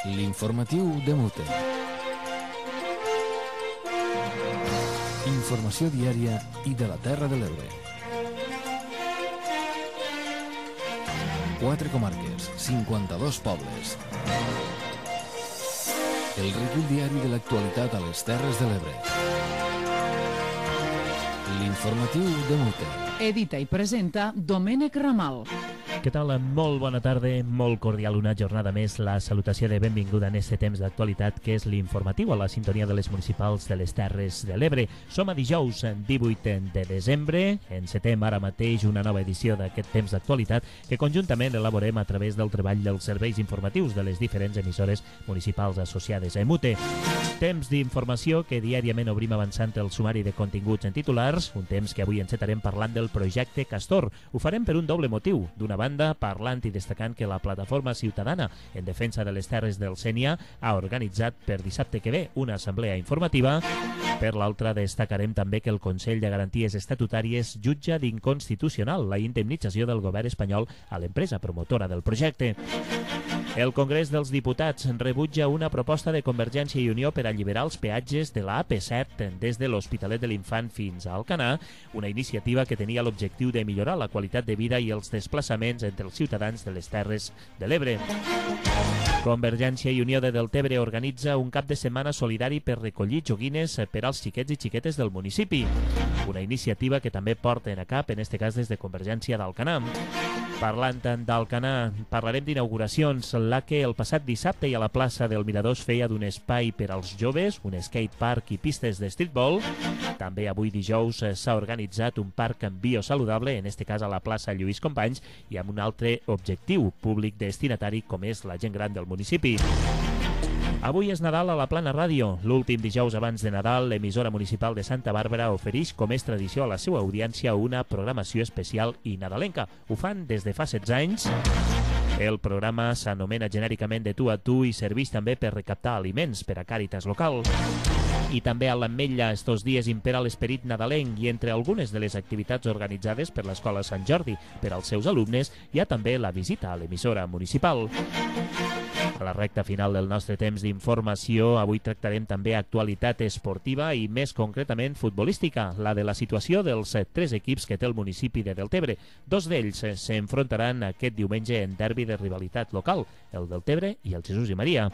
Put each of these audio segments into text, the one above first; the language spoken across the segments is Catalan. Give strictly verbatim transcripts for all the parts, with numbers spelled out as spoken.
L'informatiu de Mute. Informació diària i de la Terra de l'Ebre. Quatre comarques, cinquanta-dos pobles. El recull diari de l'actualitat a les Terres de l'Ebre. L'informatiu de Mute. Edita i presenta Domènec Ramal. Què tal? Molt bona tarda, molt cordial una jornada més. La salutació de benvinguda en este temps d'actualitat que és l'informatiu a la sintonia de les municipals de les Terres de l'Ebre. Som a dijous divuit de desembre, encetem ara mateix una nova edició d'aquest temps d'actualitat que conjuntament elaborem a través del treball dels serveis informatius de les diferents emissores municipals associades a Mute. Temps d'informació que diàriament obrim avançant el sumari de continguts en titulars, un temps que avui encetarem parlant del projecte Castor. Ho farem per un doble motiu. D'una banda, parlant i destacant que la plataforma ciutadana en defensa de les terres del Sénia ha organitzat per dissabte que ve una assemblea informativa. Per l'altra, destacarem també que el Consell de Garanties Estatutàries jutja d'inconstitucional la indemnització del govern espanyol a l'empresa promotora del projecte. El Congrés dels Diputats rebutja una proposta de Convergència i Unió per alliberar els peatges de la A P set des de l'Hospitalet de l'Infant fins a Alcanar, una iniciativa que tenia l'objectiu de millorar la qualitat de vida i els desplaçaments entre els ciutadans de les Terres de l'Ebre. Convergència i Unió de Deltebre organitza un cap de setmana solidari per recollir joguines per als xiquets i xiquetes del municipi, una iniciativa que també porten a cap, en este cas des de Convergència d'Alcanar. Parlant d'Alcanar, parlarem d'inauguracions, la que el passat dissabte i a la plaça del Mirador es feia d'un espai per als joves, un skatepark i pistes de streetball. També avui dijous s'ha organitzat un parc biosaludable, en este cas a la plaça Lluís Companys, i amb un altre objectiu públic destinatari com és la gent gran del municipi. Avui és Nadal a la Plana Ràdio. L'últim dijous abans de Nadal, l'emissora municipal de Santa Bàrbara ofereix, com és tradició a la seva audiència, una programació especial i nadalenca. Ho fan des de fa setze anys. El programa s'anomena genèricament De tu a tu i serveix també per recaptar aliments per a Càritas local. I també a l'Ametlla estos dies impera l'esperit nadalenc i entre algunes de les activitats organitzades per l'Escola Sant Jordi per als seus alumnes hi ha també la visita a l'emissora municipal. A la recta final del nostre temps d'informació, avui tractarem també actualitat esportiva i més concretament futbolística, la de la situació dels tres equips que té el municipi de Deltebre. Dos d'ells s'enfrontaran aquest diumenge en derbi de rivalitat local, el Deltebre i el Jesús i Maria.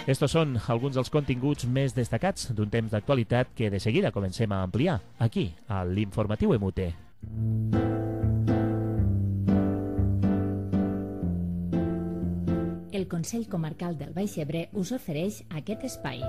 Estos són alguns dels continguts més destacats d'un temps d'actualitat que de seguida comencem a ampliar aquí, a l'Informatiu Emute. El Consell Comarcal del Baix Ebre us ofereix aquest espai.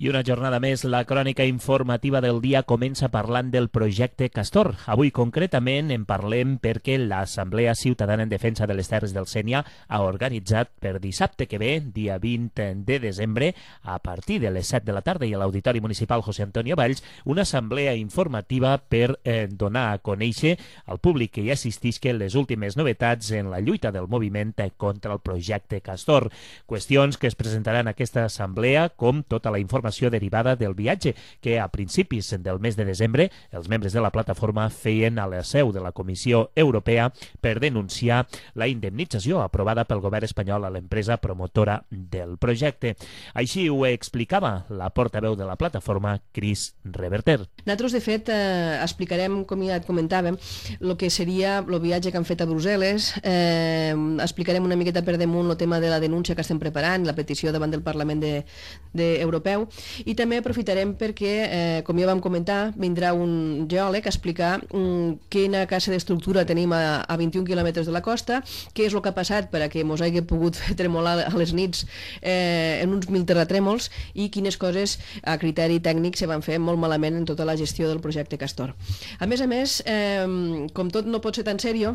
I una jornada més, la crònica informativa del dia comença parlant del projecte Castor. Avui concretament en parlem perquè l'Assemblea Ciutadana en Defensa de les Terres del Sénia ha organitzat per dissabte que ve, dia vint de desembre, a partir de les set de la tarda i a l'Auditori Municipal José Antonio Valls, una assemblea informativa per eh, donar a conèixer al públic que hi assistisca les últimes novetats en la lluita del moviment contra el projecte Castor. Qüestions que es presentaran a aquesta assemblea, com tota la informació derivada del viatge que a principis del mes de desembre els membres de la plataforma feien a la seu de la Comissió Europea per denunciar la indemnització aprovada pel govern espanyol a l'empresa promotora del projecte. Així ho explicava la portaveu de la plataforma, Cris Reverter. Nosaltres, de fet, eh, explicarem, com ja et comentàvem, el que seria el viatge que han fet a Brussel·les, eh, explicarem una miqueta per damunt el tema de la denúncia que estem preparant, la petició davant del Parlament de, de Europeu. I també aprofitarem perquè, eh, com ja vam comentar, vindrà un geòleg a explicar um, quina classe d'estructura tenim a, a vint-i-un quilòmetres de la costa, què és el que ha passat per a que mos hagi pogut fer tremolar a les nits eh, en uns mil terratrèmols i quines coses a criteri tècnic se van fer molt malament en tota la gestió del projecte Castor. A més a més, eh, com tot no pot ser tan seriós,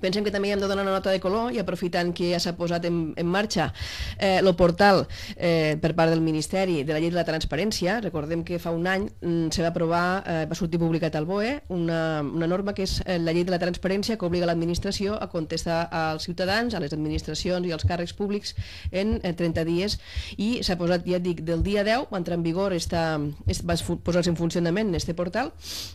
Pensem que també hem de donar una nota de color i aprofitant que ja s'ha posat en, en marxa eh, el portal eh, per part del Ministeri de la Llei de la Transparència. Recordem que fa un any mm, se va aprovar, eh, va sortir publicat al B O E una, una norma que és eh, la Llei de la Transparència, que obliga l'administració a contestar als ciutadans, a les administracions i als càrrecs públics en eh, trenta dies, i s'ha posat, ja dic, del dia deu va entrar en vigor, està, es, va posar-se en funcionament en este portal,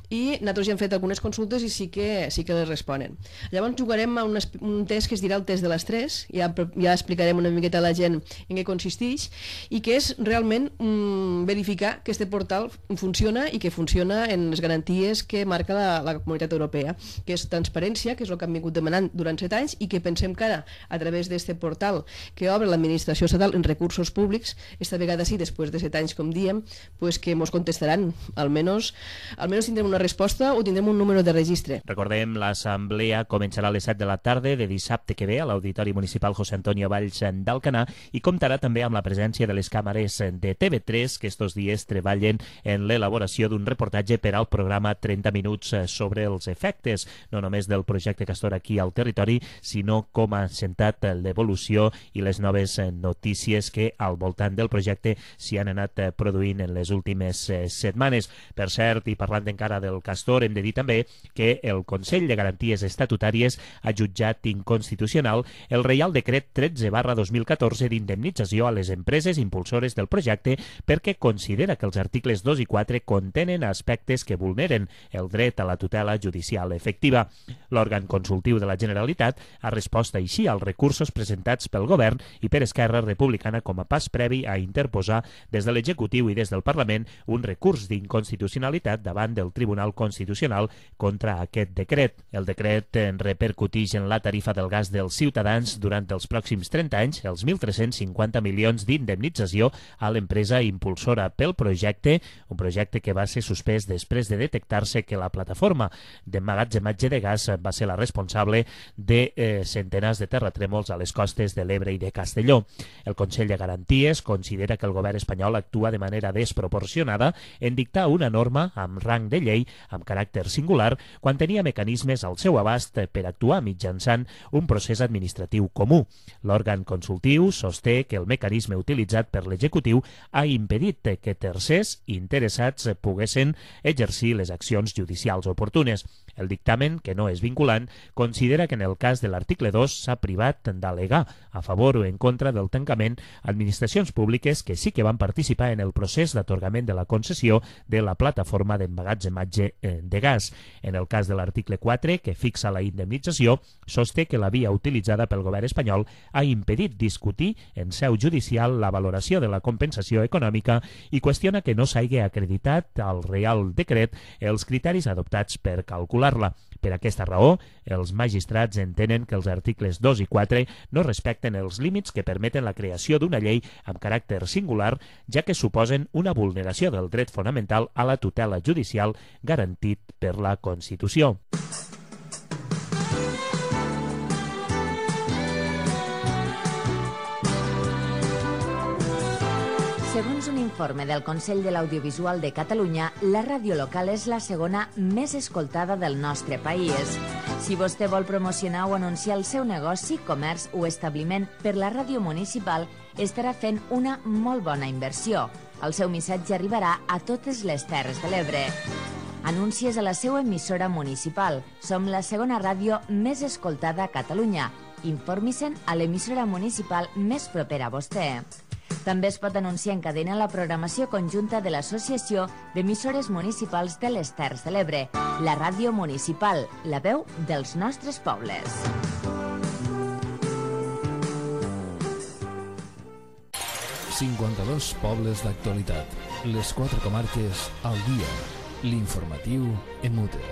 i nosaltres ja hem fet algunes consultes i sí que, sí que les responen. Llavors jugarem a un, un test que es dirà el test de les tres, ja, ja explicarem una miqueta a la gent en què consisteix, i que és realment mm, verificar que este portal funciona i que funciona en les garanties que marca la, la Comunitat Europea, que és transparència, que és el que han vingut demanant durant set anys i que pensem que ara, a través d'este portal que obre l'administració estatal en recursos públics, esta vegada sí, després de set anys, com diem, pues que ens contestaran. Almenys, almenys tindrem una resposta o tindrem un número de registre. Recordem, l'assemblea començarà a les set de la tarda de dissabte que ve a l'Auditori Municipal José Antonio Valls d'Alcanar i comptarà també amb la presència de les càmeres de T V tres, que estos dies treballen en l'elaboració d'un reportatge per al programa trenta minuts sobre els efectes, no només del projecte Castor aquí al territori, sinó com ha sentat l'evolució i les noves notícies que al voltant del projecte s'hi han anat produint en les últimes setmanes. Per cert, i parlant encara del Castor, hem de dir també que el Consell de Garanties Estatutàries ha jutjat inconstitucional el Reial Decret tretze barra dos mil catorze d'indemnització a les empreses impulsores del projecte perquè considera que els articles dos i quatre contenen aspectes que vulneren el dret a la tutela judicial efectiva. L'òrgan consultiu de la Generalitat ha respost així als recursos presentats pel Govern i per Esquerra Republicana com a pas previ a interposar des de l'Executiu i des del Parlament un recurs d'inconstitucionalitat davant del Tribunal Constitucional contra aquest decret. El decret repercuteix en la tarifa del gas dels ciutadans durant els pròxims trenta anys els mil tres-cents cinquanta milions d'indemnització a l'empresa impulsora pel projecte, un projecte que va ser suspès després de detectar-se que la plataforma d'emmagatzematge de gas va ser la responsable de eh, centenars de terratrèmols a les costes de l'Ebre i de Castelló. El Consell de Garanties considera que el govern espanyol actua de manera desproporcionada en dictar una norma amb rang de llei amb caràcter singular quan tenia mecanismes al seu abast per actuar mitjançant un procés administratiu comú. L'òrgan consultiu sosté que el mecanisme utilitzat per l'executiu ha impedit que tercers interessats poguessin exercir les accions judicials oportunes. El dictamen, que no és vinculant, considera que en el cas de l'article dos s'ha privat d'al·legar a favor o en contra del tancament administracions públiques que sí que van participar en el procés d'atorgament de la concessió de la plataforma d'emmagatzematge de gas. En el cas de l'article quatre, que fixa la indemnització, sosté que la via utilitzada pel govern espanyol ha impedit discutir en seu judicial la valoració de la compensació econòmica i qüestiona que no s'hagi acreditat al Reial Decret els criteris adoptats per calcular-la. Per aquesta raó, els magistrats entenen que els articles dos i quatre no respecten els límits que permeten la creació d'una llei amb caràcter singular, ja que suposen una vulneració del dret fonamental a la tutela judicial garantit per la Constitució. Segons un informe del Consell de l'Audiovisual de Catalunya, la ràdio local és la segona més escoltada del nostre país. Si vostè vol promocionar o anunciar el seu negoci, comerç o establiment per la ràdio municipal, estarà fent una molt bona inversió. El seu missatge arribarà a totes les Terres de l'Ebre. Anuncies a la seva emissora municipal. Som la segona ràdio més escoltada a Catalunya. Informi-se'n a l'emissora municipal més propera a vostè. També es pot anunciar en cadena la programació conjunta de l'Associació d'Emissores Municipals de les Terres de l'Ebre, la ràdio municipal, la veu dels nostres pobles. cinquanta-dos pobles d'actualitat. Les quatre comarques al dia. L'informatiu en mute.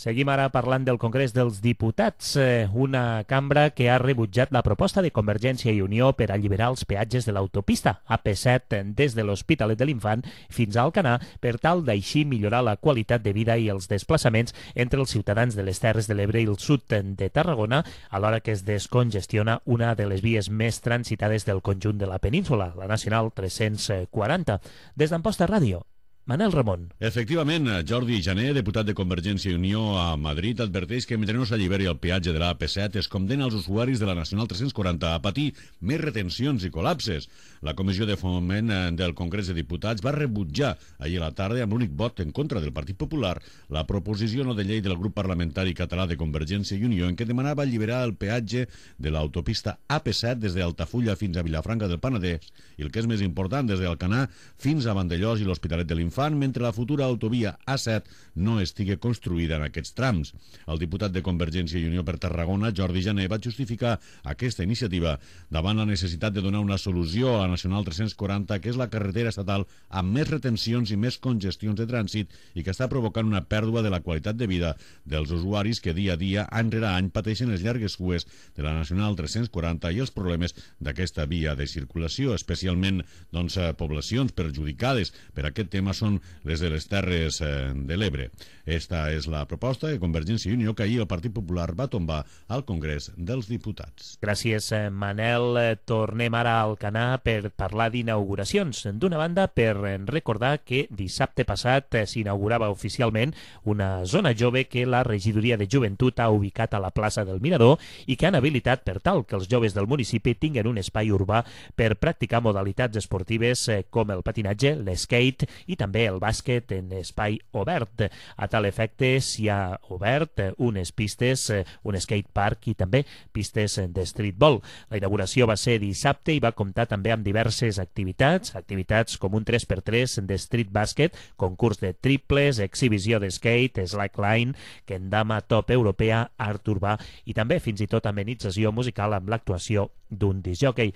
Seguim ara parlant del Congrés dels Diputats, una cambra que ha rebutjat la proposta de Convergència i Unió per alliberar els peatges de l'autopista A P set des de l'Hospitalet de l'Infant fins a Alcanar per tal d'així millorar la qualitat de vida i els desplaçaments entre els ciutadans de les Terres de l'Ebre i el sud de Tarragona, alhora que es descongestiona una de les vies més transitades del conjunt de la península, la Nacional tres-cents quaranta. Des d'Amposta Ràdio, Manel Ramon. Efectivament, Jordi Jané, diputat de Convergència i Unió a Madrid, adverteix que mentre no s'alliberi el peatge de la A P set es condena els usuaris de la Nacional tres-cents quaranta a patir més retencions i col·lapses. La Comissió de Foment del Congrés de Diputats va rebutjar ahir a la tarda amb l'únic vot en contra del Partit Popular la proposició no de llei del grup parlamentari català de Convergència i Unió en què demanava alliberar el peatge de l'autopista A P set des d'Altafulla fins a Vilafranca del Penedès i el que és més important, des d'Alcanar fins a Vandellòs i l'Hospitalet de l'Infant, mentre la futura autovia A set no estigui construïda en aquests trams. El diputat de Convergència i Unió per Tarragona, Jordi Jané, va justificar aquesta iniciativa davant la necessitat de donar una solució a la Nacional tres-cents quaranta, que és la carretera estatal amb més retencions i més congestions de trànsit i que està provocant una pèrdua de la qualitat de vida dels usuaris que dia a dia, any rere any, pateixen les llargues cues de la Nacional tres-cents quaranta i els problemes d'aquesta via de circulació, especialment doncs, poblacions perjudicades per aquest tema són les de les Terres eh, de l'Ebre. Esta és la proposta de Convergència i Unió que ahir el Partit Popular va tombar al Congrés dels Diputats. Gràcies, Manel. Tornem ara al Alcanar per parlar d'inauguracions. D'una banda, per recordar que dissabte passat s'inaugurava oficialment una zona jove que la Regidoria de Joventut ha ubicat a la plaça del Mirador i que han habilitat per tal que els joves del municipi tinguin un espai urbà per practicar modalitats esportives com el patinatge, l'skate i també el bàsquet en espai obert. A tal efecte s'hi ha obert unes pistes, un skatepark i també pistes de streetball. La inauguració va ser dissabte i va comptar també amb diverses activitats, activitats com un tres per tres de street basket, concurs de triples, exhibició de skate, slackline, kendama top europea, art urbà i també fins i tot amenització musical amb l'actuació d'un discjòquei.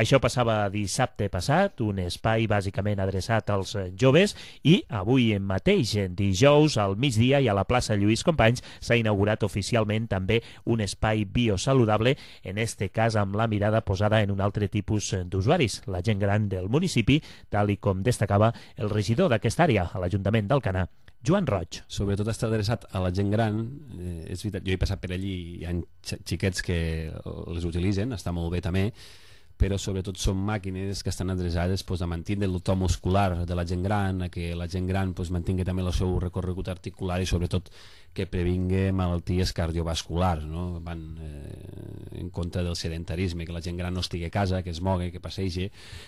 Això passava dissabte passat, un espai bàsicament adreçat als joves, i avui mateix, dijous, al migdia i a la plaça Lluís Companys, s'ha inaugurat oficialment també un espai biosaludable, en este cas amb la mirada posada en un altre tipus d'usuaris, la gent gran del municipi, tal i com destacava el regidor d'aquesta àrea a l'Ajuntament d'Alcanar, Joan Roig. Sobretot està adreçat a la gent gran, eh, és veritat, jo he passat per allí i hi ha xiquets que les utilitzen, està molt bé també, però sobretot són màquines que estan adreçades pues, a mantenir el to muscular de la gent gran, a que la gent gran pues, mantingui també el seu recorregut articular i sobretot que previngui malalties cardiovasculars, no? Van eh, en contra del sedentarisme, que la gent gran no estigui a casa, que es mogui, que passegi,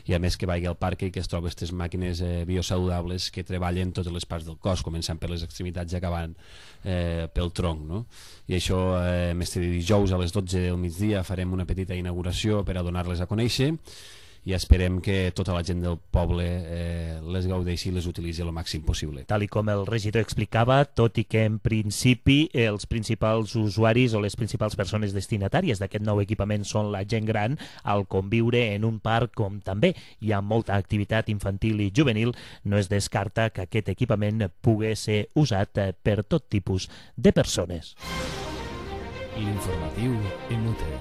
i a més que vagi al parc i que es trobi aquestes màquines eh, biosaludables que treballen totes les parts del cos, començant per les extremitats i acabant eh, pel tronc, no? I això, eh, este dijous a les dotze del migdia farem una petita inauguració per a donar-les a conèixer i esperem que tota la gent del poble eh, les gaudeixi i les utilitzi el màxim possible. Tal i com el regidor explicava, tot i que en principi els principals usuaris o les principals persones destinatàries d'aquest nou equipament són la gent gran, al conviure en un parc com també hi ha molta activitat infantil i juvenil, no es descarta que aquest equipament pugui ser usat per tot tipus de persones. L'informatiu en U T.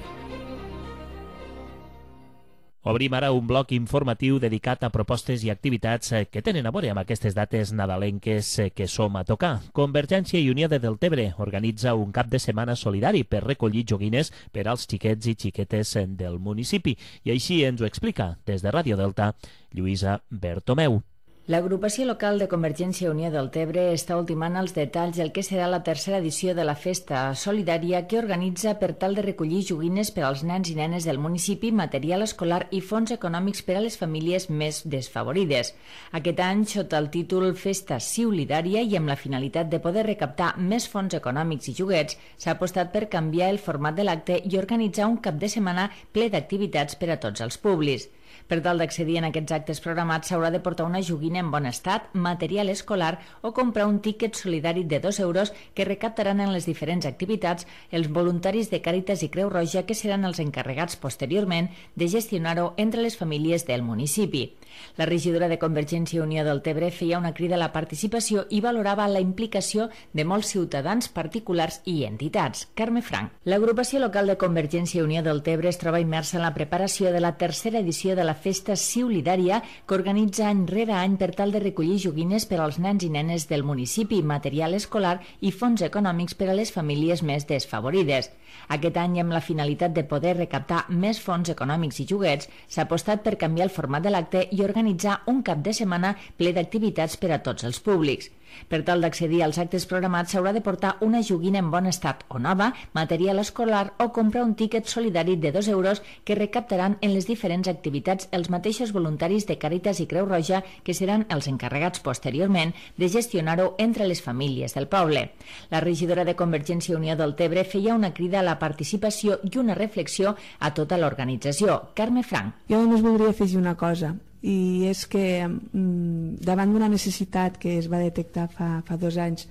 Obrim ara un bloc informatiu dedicat a propostes i activitats que tenen a veure amb aquestes dates nadalenques que som a tocar. Convergència i Unió de Deltebre organitza un cap de setmana solidari per recollir joguines per als xiquets i xiquetes del municipi. I així ens ho explica, des de Ràdio Delta, Lluïsa Bertomeu. L'agrupació local de Convergència i Unió del Tebre està ultimant els detalls del que serà la tercera edició de la festa solidària que organitza per tal de recollir joguines per als nens i nenes del municipi, material escolar i fons econòmics per a les famílies més desfavorides. Aquest any, sota el títol Festa Solidària i amb la finalitat de poder recaptar més fons econòmics i joguets, s'ha apostat per canviar el format de l'acte i organitzar un cap de setmana ple d'activitats per a tots els públics. Per tal d'accedir en aquests actes programats s'haurà de portar una joguina en bon estat, material escolar o comprar un tíquet solidari de dos euros que recaptaran en les diferents activitats els voluntaris de Càritas i Creu Roja que seran els encarregats posteriorment de gestionar-ho entre les famílies del municipi. La regidora de Convergència i Unió del Tebre feia una crida a la participació i valorava la implicació de molts ciutadans, particulars i entitats. Carme Frank. L'agrupació local de Convergència i Unió del Tebre es troba immersa en la preparació de la tercera edició de la Festa Solidària que organitza any rere any per per tal de recollir joguines per als nens i nenes del municipi, material escolar i fons econòmics per a les famílies més desfavorides. Aquest any, amb la finalitat de poder recaptar més fons econòmics i joguets, s'ha apostat per canviar el format de l'acte i organitzar un cap de setmana ple d'activitats per a tots els públics. Per tal d'accedir als actes programats s'haurà de portar una joguina en bon estat o nova, material escolar o comprar un tíquet solidari de dos euros que recaptaran en les diferents activitats els mateixos voluntaris de Càritas i Creu Roja, que seran els encarregats posteriorment de gestionar-ho entre les famílies del poble. La regidora de Convergència i Unió del Tebre feia una crida a la participació i una reflexió a tota l'organització. Carme Frank. Jo només voldria afegir una cosa, i és que mm, davant d'una necessitat que es va detectar fa, fa dos anys,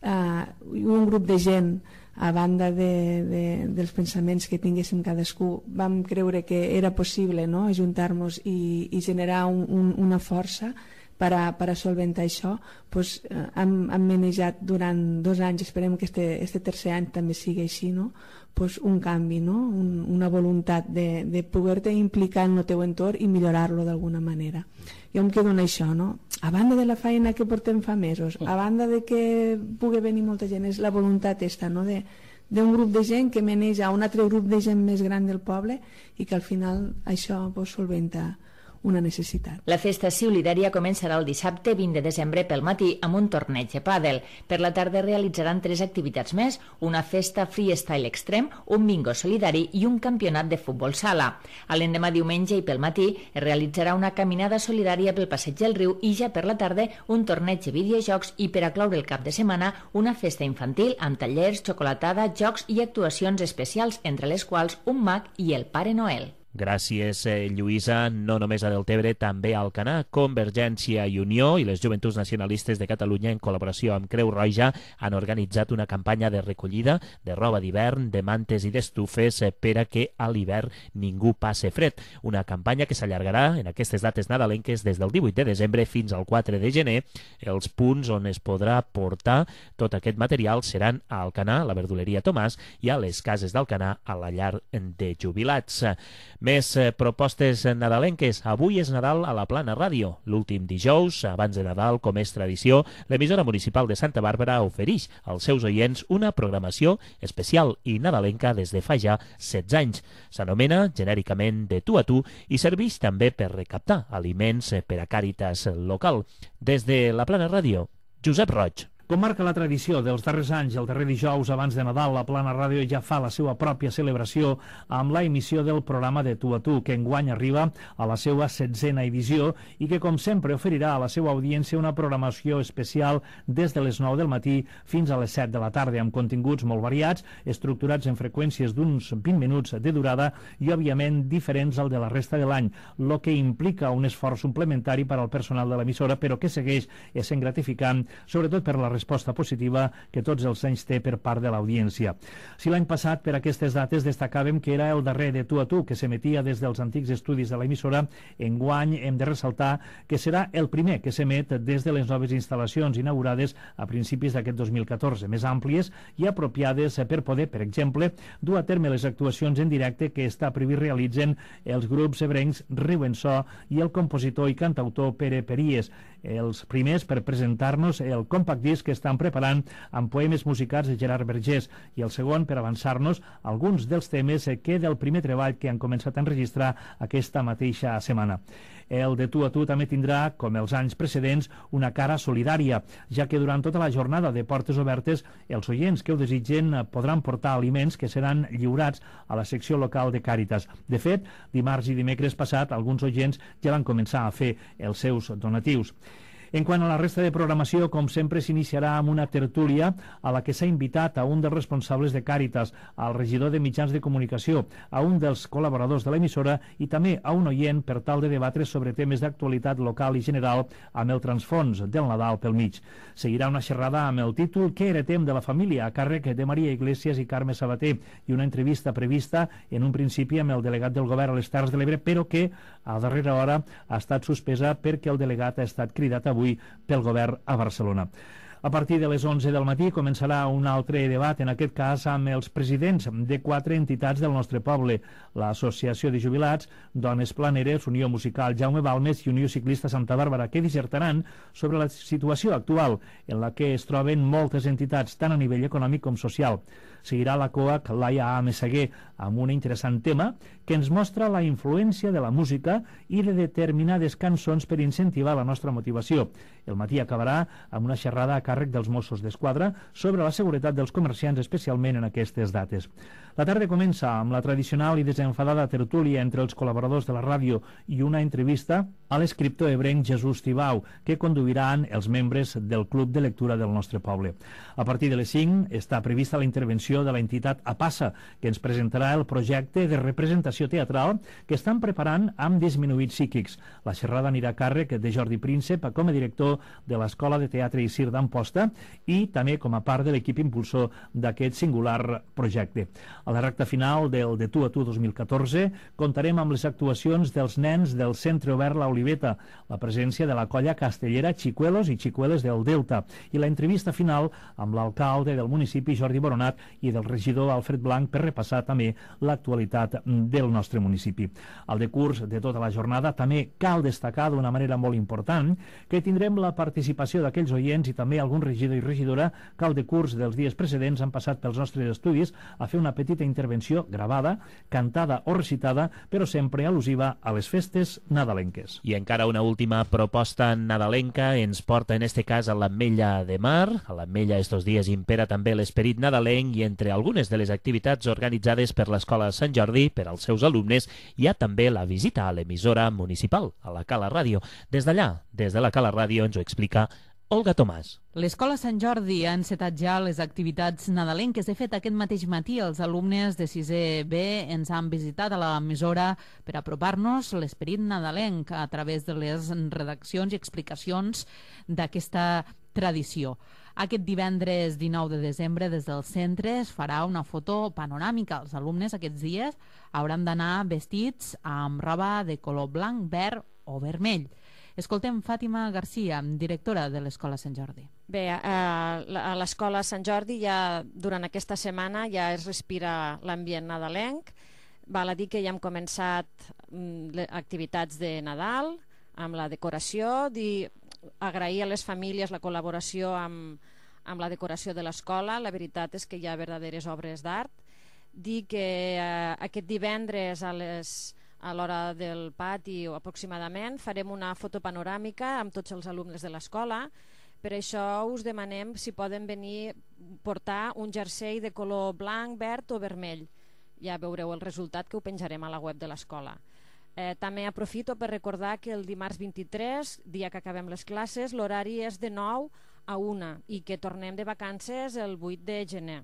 eh, un grup de gent, a banda de, de, dels pensaments que tinguéssim cadascú, vam creure que era possible, no?, ajuntar-nos i, i generar un, un, una força per a, per a solventar això. Pues, eh, hem, hem manejat durant dos anys, esperem que este, este tercer any també sigui així, no?, pues un canvi, no? un, una voluntat de, de poder-te implicar en el teu entorn i millorar-lo d'alguna manera. Jo em quedo en això, no? A banda de la feina que portem fa mesos, a banda de que pugui venir molta gent, és la voluntat esta, no?, de d'un grup de gent que maneja un altre grup de gent més gran del poble i que al final això pues, solventa una necessitat. La festa solidària començarà el dissabte vint de desembre pel matí amb un torneig de pàdel. Per la tarda realitzaran tres activitats més, una festa freestyle extrem, un bingo solidari i un campionat de futbol sala. A l'endemà diumenge i pel matí es realitzarà una caminada solidària pel passeig del riu i ja per la tarda un torneig de videojocs i per a cloure el cap de setmana una festa infantil amb tallers, xocolatada, jocs i actuacions especials, entre les quals un mag i el Pare Noel. Gràcies, eh, Lluïsa. No només a Deltebre, també a Alcanar, Convergència i Unió i les Joventuts Nacionalistes de Catalunya, en col·laboració amb Creu Roja, han organitzat una campanya de recollida de roba d'hivern, de mantes i d'estufes eh, per a que a l'hivern ningú passe fred. Una campanya que s'allargarà en aquestes dates nadalenques des del divuit de desembre fins al quatre de gener. Els punts on es podrà portar tot aquest material seran a Alcanar, la verduleria Tomàs, i a les cases d'Alcanar, a la llar de jubilats. Més eh, propostes nadalenques. Avui és Nadal a la Plana Ràdio. L'últim dijous, abans de Nadal, com és tradició, l'emissora municipal de Santa Bàrbara ofereix als seus oients una programació especial i nadalenca des de fa ja setze anys. S'anomena genèricament De tu a tu i serveix també per recaptar aliments per a Càritas local. Des de la Plana Ràdio, Josep Roig. Com marca la tradició dels darrers anys, el darrer dijous abans de Nadal, la Plana Ràdio ja fa la seva pròpia celebració amb la emissió del programa De tu a tu, que enguany arriba a la seva setzena edició i que, com sempre, oferirà a la seva audiència una programació especial des de les nou del matí fins a les set de la tarda, amb continguts molt variats, estructurats en freqüències d'uns vint minuts de durada i, òbviament, diferents al de la resta de l'any, el que implica un esforç suplementari per al personal de l'emissora, però que segueix essent gratificant, sobretot per la resposta positiva que tots els anys té per part de l'audiència. Si l'any passat per aquestes dates destacàvem que era el darrer De tu a tu, que s'emetia des dels antics estudis de l'emissora, enguany hem de ressaltar que serà el primer que s'emet des de les noves instal·lacions inaugurades a principis d'aquest dos mil catorze, més àmplies i apropiades per poder, per exemple, dur a terme les actuacions en directe que està previst realitzen els grups ebrencs Riu en So i el compositor i cantautor Pere Peries, els primers per presentar-nos el compact disc que estan preparant amb poemes musicats de Gerard Vergés i el segon per avançar-nos alguns dels temes que del primer treball que han començat a enregistrar aquesta mateixa setmana. El De tu a tu també tindrà, com els anys precedents, una cara solidària, ja que durant tota la jornada de portes obertes els oients que ho desitgen podran portar aliments que seran lliurats a la secció local de Càritas. De fet, dimarts i dimecres passat, alguns oients ja van començar a fer els seus donatius. En quant a la resta de programació, com sempre, s'iniciarà amb una tertúlia a la que s'ha invitat a un dels responsables de Càritas, al regidor de mitjans de comunicació, a un dels col·laboradors de l'emissora i també a un oient per tal de debatre sobre temes d'actualitat local i general amb el transfons del Nadal pel mig. Seguirà una xerrada amb el títol Què heretem de la família, a càrrec de Maria Iglesias i Carme Sabater, i una entrevista prevista en un principi amb el delegat del govern a les Terres de l'Ebre, però que a darrera hora ha estat suspesa perquè el delegat ha estat cridat avui pel govern a Barcelona. A partir de les onze del matí començarà un altre debat, en aquest cas amb els presidents de quatre entitats del nostre poble, l'Associació de Jubilats, Dones Planeres, Unió Musical Jaume Balmes i Unió Ciclista Santa Bàrbara, que dissertaran sobre la situació actual en la que es troben moltes entitats, tant a nivell econòmic com social. Seguirà la COAC Laia A. Messeguer amb un interessant tema que ens mostra la influència de la música i de determinades cançons per incentivar la nostra motivació. El matí acabarà amb una xerrada a càrrec dels Mossos d'Esquadra sobre la seguretat dels comerciants, especialment en aquestes dates. La tarda comença amb la tradicional i desenfadada tertúlia entre els col·laboradors de la ràdio i una entrevista a l'escriptor ebrenc Jesús Tibau, que conduiran els membres del Club de Lectura del nostre poble. A partir de les cinc està prevista la intervenció de l'entitat APASA, que ens presentarà el projecte de representació teatral que estan preparant amb disminuïts psíquics. La xerrada anirà a càrrec de Jordi Príncep com a director de l'Escola de Teatre i Circ d'Amposta i també com a part de l'equip impulsor d'aquest singular projecte. A la recta final del De Tu a Tu dos mil catorze comptarem amb les actuacions dels nens del Centre Obert La Oliveta, la presència de la colla castellera Xicuelos i Xicueles del Delta i la entrevista final amb l'alcalde del municipi Jordi Boronat i del regidor Alfred Blanc per repassar també l'actualitat del nostre municipi. Al decurs de tota la jornada també cal destacar d'una manera molt important que tindrem la participació d'aquells oients i també algun regidor i regidora que al decurs dels dies precedents han passat pels nostres estudis a fer una petita intervenció gravada, cantada o recitada, però sempre al·lusiva a les festes nadalenques. I encara una última proposta nadalenca ens porta en este cas a l'Ametlla de Mar. A l'Ametlla estos dies impera també l'esperit nadalenc i entre algunes de les activitats organitzades per l'Escola Sant Jordi per als seus alumnes hi ha també la visita a l'emissora municipal, a la Cala Ràdio. Des d'allà, des de la Cala Ràdio, ens ho explica Olga Tomàs. L'Escola Sant Jordi ha encetat ja les activitats nadalenques. De fet, aquest mateix matí els alumnes de sisè B ens han visitat a l'emissora per apropar-nos l'esperit nadalenc a través de les redaccions i explicacions d'aquesta tradició. Aquest divendres dinou de desembre des del centre es farà una foto panoràmica. Els alumnes aquests dies hauran d'anar vestits amb roba de color blanc, verd o vermell. Escoltem Fàtima Garcia, directora de l'Escola Sant Jordi. Bé, a l'Escola Sant Jordi ja durant aquesta setmana ja es respira l'ambient nadalenc. Val a dir que ja hem començat activitats de Nadal amb la decoració, dir agrair a les famílies la col·laboració amb, amb la decoració de l'escola. La veritat és que hi ha verdaderes obres d'art. Dir que eh, aquest divendres a les a l'hora del pati o aproximadament farem una foto panoràmica amb tots els alumnes de l'escola. Per això us demanem si poden venir portar un jersei de color blanc, verd o vermell. Ja veureu el resultat, que ho penjarem a la web de l'escola. Eh, també aprofito per recordar que el dimarts vint-i-tres, dia que acabem les classes, l'horari és de nou a una i que tornem de vacances el vuit de gener.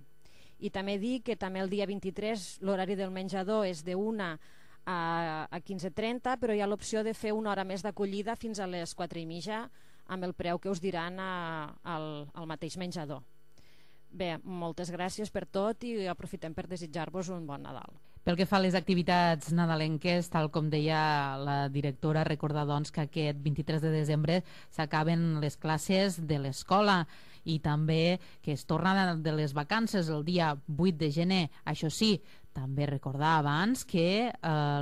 I també dir que també el dia vint-i-tres l'horari del menjador és de una a quinze trenta, però hi ha l'opció de fer una hora més d'acollida fins a les quatre i mitja amb el preu que us diran a, al, al mateix menjador. Bé, moltes gràcies per tot i aprofitem per desitjar-vos un bon Nadal. Pel que fa a les activitats nadalenques, tal com deia la directora, recordar doncs que aquest vint-i-tres de desembre s'acaben les classes de l'escola i també que es torna de les vacances el dia vuit de gener. Això sí, també recordar abans que eh,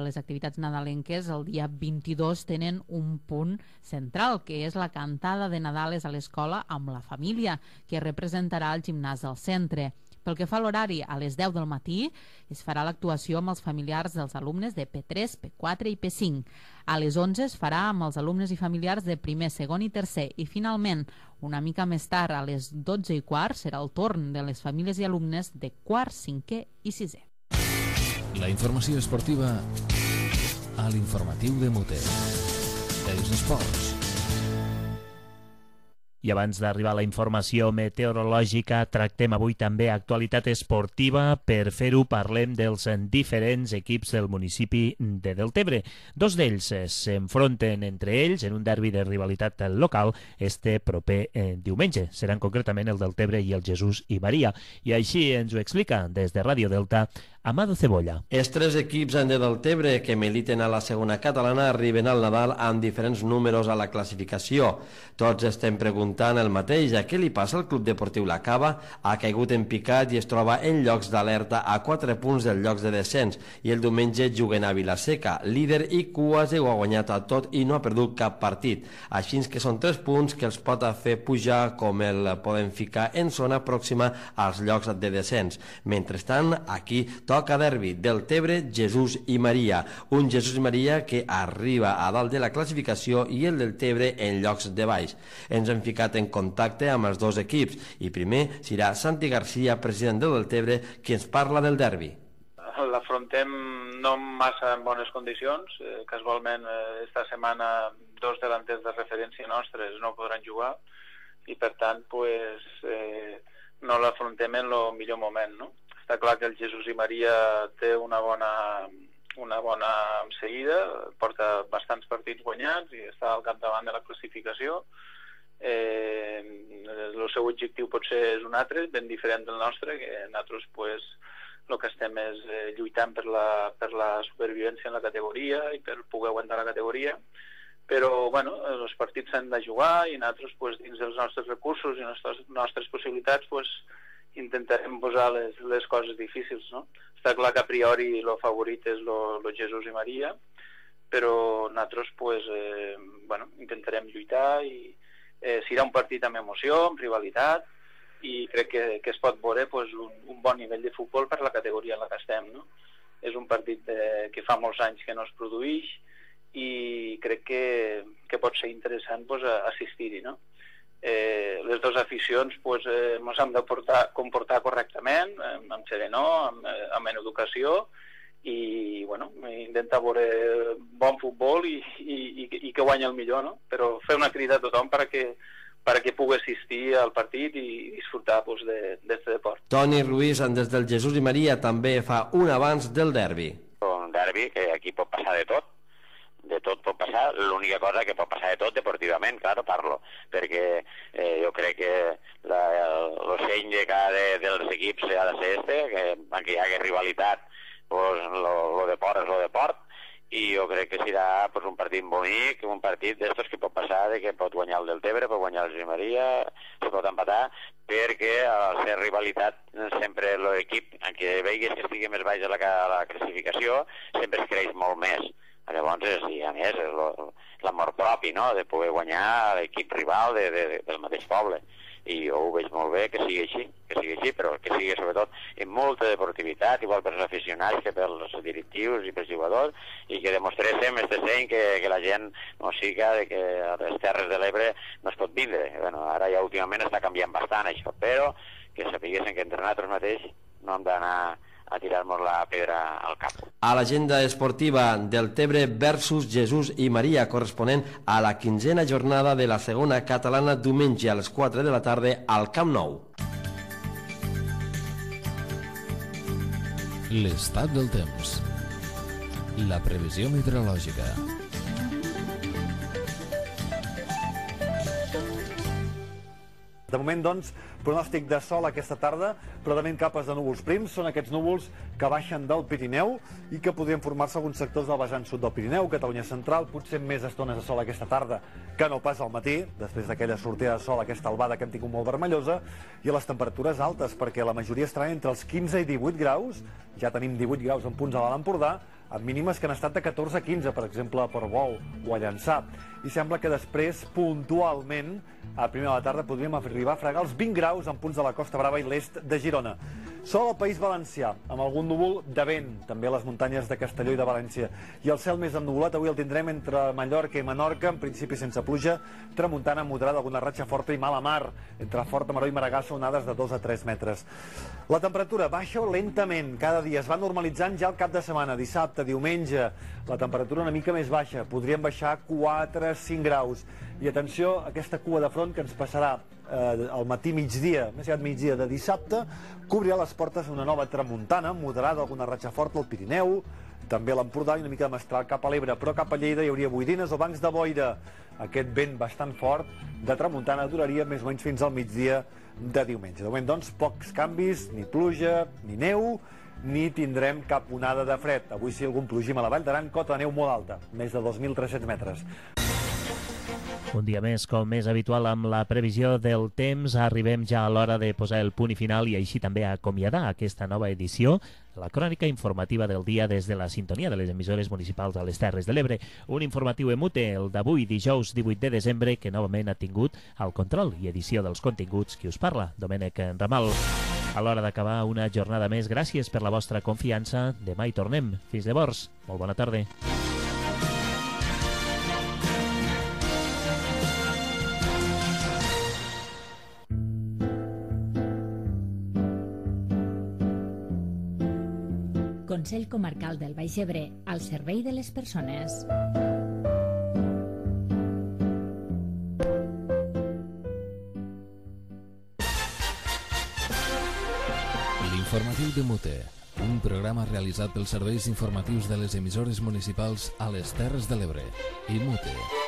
les activitats nadalenques el dia vint-i-dos tenen un punt central, que és la cantada de Nadales a l'escola amb la família, que representarà el gimnàs del centre. Pel que fa a l'horari, a les deu del matí es farà l'actuació amb els familiars dels alumnes de P tres, P quatre i P cinc. A les onze es farà amb els alumnes i familiars de primer, segon i tercer. I finalment, una mica més tard, a les dotze i quart, serà el torn de les famílies i alumnes de quart, cinquè i sisè. La informació esportiva a l'informatiu de Mote. Els esports. I abans d'arribar a la informació meteorològica, tractem avui també actualitat esportiva. Per fer-ho parlem dels diferents equips del municipi de Deltebre. Dos d'ells s'enfronten entre ells en un derbi de rivalitat local este proper eh, diumenge. Seran concretament el Deltebre i el Jesús i Maria. I així ens ho explica des de Ràdio Delta Amado Cebolla. Els tres equips de Deltebre que militen a la segona catalana arriben al Nadal amb diferents números a la classificació. Tots estem preguntant el mateix: a què li passa al Club Deportiu La Cava? Ha caigut en picat i es troba en llocs d'alerta a quatre punts dels llocs de descens, i el diumenge juguen a Vilaseca, líder i quasi ho ha guanyat a tot i no ha perdut cap partit. Així que són tres punts que els pot fer pujar, com el poden ficar en zona pròxima als llocs de descens. Mentrestant, aquí toca derbi Deltebre, Jesús i Maria. Un Jesús i Maria que arriba a dalt de la classificació i el Deltebre en llocs de baix. Ens hem ficat en contacte amb els dos equips i primer serà Santi Garcia, president del Deltebre, qui ens parla del derbi. L'afrontem no massa en bones condicions. Eh, casualment, eh, esta setmana dos delanters de referència nostres no podran jugar i, per tant, pues, eh, no l'afrontem en el millor moment, no? Està clar que el Jesús i Maria té una bona, una bona seguida, porta bastants partits guanyats i està al capdavant de la classificació. Eh, el seu objectiu potser és un altre, ben diferent del nostre, que nosaltres pues, el que estem és eh, lluitant per la, per la supervivència en la categoria i per poder aguantar la categoria. Però bueno, els partits s'han de jugar i nosaltres pues, dins dels nostres recursos i les nostres, nostres possibilitats pues, intentarem posar les, les coses difícils, no? Està clar que a priori el favorit és el Jesús i Maria, però nosaltres pues, eh, bueno, intentarem lluitar i eh, serà un partit amb emoció, amb rivalitat, i crec que, que es pot veure pues, un, un bon nivell de futbol per la categoria en la que estem, no? És un partit de, que fa molts anys que no es produeix i crec que, que pot ser interessant pues, assistir-hi, no? Eh, les dues aficions pues, eh, ens hem de portar, comportar correctament, eh, amb serenor, amb, eh, amb educació i bueno, intentar veure bon futbol i, i, i, i que guanyi el millor, no? Però fer una crida a tothom perquè, perquè pugui assistir al partit i disfrutar pues, d'aquest de, deport. Toni Ruiz, des del Jesús i Maria, també fa un abans del derbi. Un derbi que aquí pot passar de tot. De tot pot passar, l'única cosa que pot passar de tot deportivament, claro, parlo, perquè eh, jo crec que l'ocell de cada de, dels equips ha de ser este, que aunque hi hagi rivalitat, pues lo de port és lo de port, i jo crec que serà pues, un partit bonic, un partit d'estos que pot passar, de que pot guanyar el Deltebre, pot guanyar el Jesús i Maria, se pot empatar, perquè al ser rivalitat sempre l'equip, que veiguis que estigui més baix a la, a la classificació, sempre es creix molt més. Llavors, i a més, és l'amor propi, no?, de poder guanyar l'equip rival de, de, de, del mateix poble. I jo ho veig molt bé que sigui així, que sigui així, però que sigui sobretot amb molta deportivitat, igual per als aficionats que pels directius i pels jugadors, i que demostréssim este seny que, que la gent no siga de que a les Terres de l'Ebre no es pot vindre. Bueno, ara ja últimament està canviant bastant això, però que sapiguessin que entre nosaltres mateix no hem d'anar a tirar-nos la pedra al cap. A l'agenda esportiva, Deltebre versus Jesús i Maria, corresponent a la quinzena jornada de la segona catalana, diumenge a les quatre de la tarda al Camp Nou. L'estat del temps. La previsió meteorològica. De moment, doncs, pronòstic de sol aquesta tarda, però també capes de núvols prims. Són aquests núvols que baixen del Pirineu i que podrien formar-se alguns sectors del vessant sud del Pirineu, Catalunya central, potser més estones de sol aquesta tarda que no pas al matí, després d'aquella sortida de sol, aquesta albada que hem tingut molt vermellosa, i les temperatures altes, perquè la majoria estaran entre els quinze i divuit graus, ja tenim divuit graus en punts a l'Alt Empordà, amb mínimes que han estat de catorze a quinze, per exemple, a Portbou o a Llançà. I sembla que després, puntualment, a primera de la tarda podríem arribar a fregar els vint graus en punts de la Costa Brava i l'est de Girona. Sol al País Valencià, amb algun núvol de vent, també a les muntanyes de Castelló i de València. I el cel més ennuvolat avui el tindrem entre Mallorca i Menorca, en principi sense pluja, tramuntana moderada, alguna ratxa forta i mala mar, entre Forta Maró i Maragassa, onades de dos a tres metres. La temperatura baixa lentament, cada dia es va normalitzant ja al cap de setmana, dissabte, diumenge, la temperatura una mica més baixa, podríem baixar quatre a cinc graus. I atenció, aquesta cua de front que ens passarà eh, al matí migdia, més aviat migdia de dissabte, cobrirà les portes una nova tramuntana, moderada, alguna ratxa forta al Pirineu, també a l'Empordà i una mica de mestral cap a l'Ebre, però cap a Lleida hi hauria boirines o bancs de boira. Aquest vent bastant fort de tramuntana duraria més o menys fins al migdia de diumenge. De moment, doncs, pocs canvis, ni pluja, ni neu, ni tindrem cap onada de fred. Avui sí algun plogim a la Vall d'Aran, cota de neu molt alta, més de dos mil tres-cents metres. Un dia més, com és habitual amb la previsió del temps, arribem ja a l'hora de posar el punt i final i així també acomiadar aquesta nova edició, la crònica informativa del dia des de la sintonia de les emissores municipals a les Terres de l'Ebre. Un informatiu emute, el d'avui, dijous divuit de desembre, que novament ha tingut el control i edició dels continguts qui us parla, Domènec Ramal. A l'hora d'acabar una jornada més, gràcies per la vostra confiança. Demà hi tornem. Fins llavors, molt bona tarda. Consell Comarcal del Baix Ebre, al servei de les persones. L'informatiu de Mute, un programa realitzat pels serveis informatius de les emissores municipals a les Terres de l'Ebre i Mute.